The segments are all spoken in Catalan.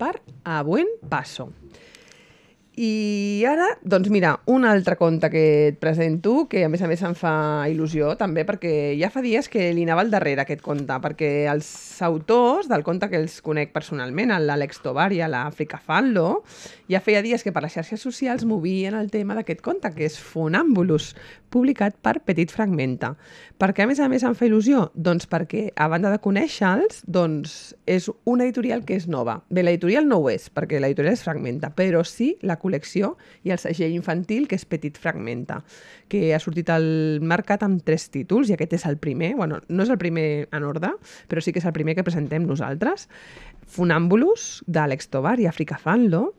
per A Buen Paso. I ara, doncs mira, un altre conte que et presento, que a més em fa il·lusió també, perquè ja fa dies que li anava al darrere aquest conte, perquè els autors del conte que els conec personalment, l'Àlex Tovar i l'Àfrica Fanlo, ja feia dies que per les xarxes socials movien el tema d'aquest conte, que és Funambulus, publicat per Petit Fragmenta. Per què a més em fa il·lusió? Doncs perquè, a banda de conèixer-los, doncs és una editorial que és nova. Bé, l'editorial no ho és, perquè l'editorial és Fragmenta, però sí la col·lecció i el segell infantil, que és Petit Fragmenta, que ha sortit al mercat amb 3 títols, i aquest és el primer, bueno, no és el primer en ordre, però sí que és el primer que presentem nosaltres. Funambulus, d'Àlex Tovar i Àfrica Fanlo.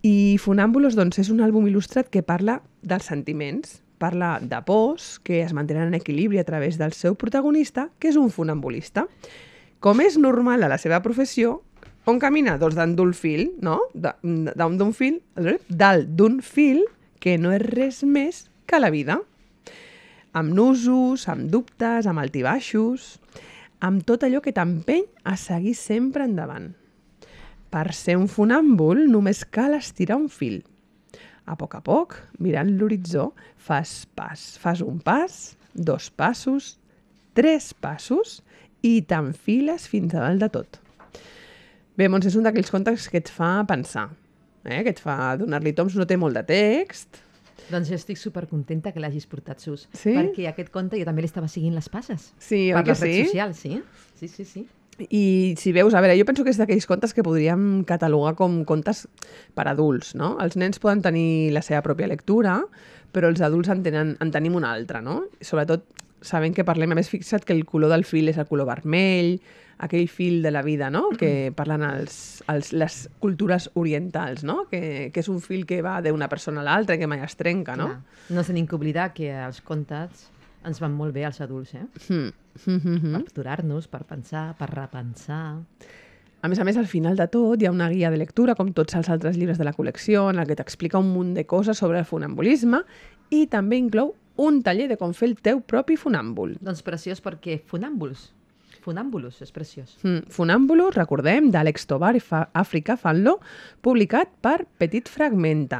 I Funambulus, doncs, és un àlbum il·lustrat que parla dels sentiments, parla de pors que es mantenen en equilibri a través del seu protagonista, que és un funambulista. Com és normal a la seva professió, on camina? Doncs dalt d'un fil, no? Dalt d'un fil que no és res més que la vida. Amb nusos, amb dubtes, amb altibaixos, amb tot allò que t'empeny a seguir sempre endavant. Per ser un funàmbul només cal estirar un fil. A poc, mirant l'horitzó, fas un pas, 2 passos, 3 passos i t'enfiles fins a dalt de tot. Bé, Montse, és un d'aquells contes que et fa pensar, que et fa donar-li toms, no té molt de text. Doncs jo estic supercontenta que l'hagis portat, Sus, sí? Perquè aquest conte jo també l'estava seguint les passes. Sí, per que les redes socials, sí? Sí. I si veus, a veure, jo penso que és d'aquells contes que podríem catalogar com contes per adults, no? Els nens poden tenir la seva pròpia lectura, però els adults en tenim una altra, no? Sobretot sabent que parlem, a més fixa't que el color del fil és el color vermell, aquell fil de la vida, no? Que parlen les cultures orientals, no? Que és un fil que va d'una persona a l'altra i que mai es trenca, no? Clar. No tenim que oblidar que els contes ens van molt bé als adults, per aturar-nos, per pensar, per repensar. A més, al final de tot hi ha una guia de lectura, com tots els altres llibres de la col·lecció, en el que t'explica un munt de coses sobre el funambulisme i també inclou un taller de com fer el teu propi funàmbul. Doncs preciós, perquè Funambulus és preciós. Funambulus, recordem, d'Àlex Tovar i Àfrica Fanlo, publicat per Petit Fragmenta.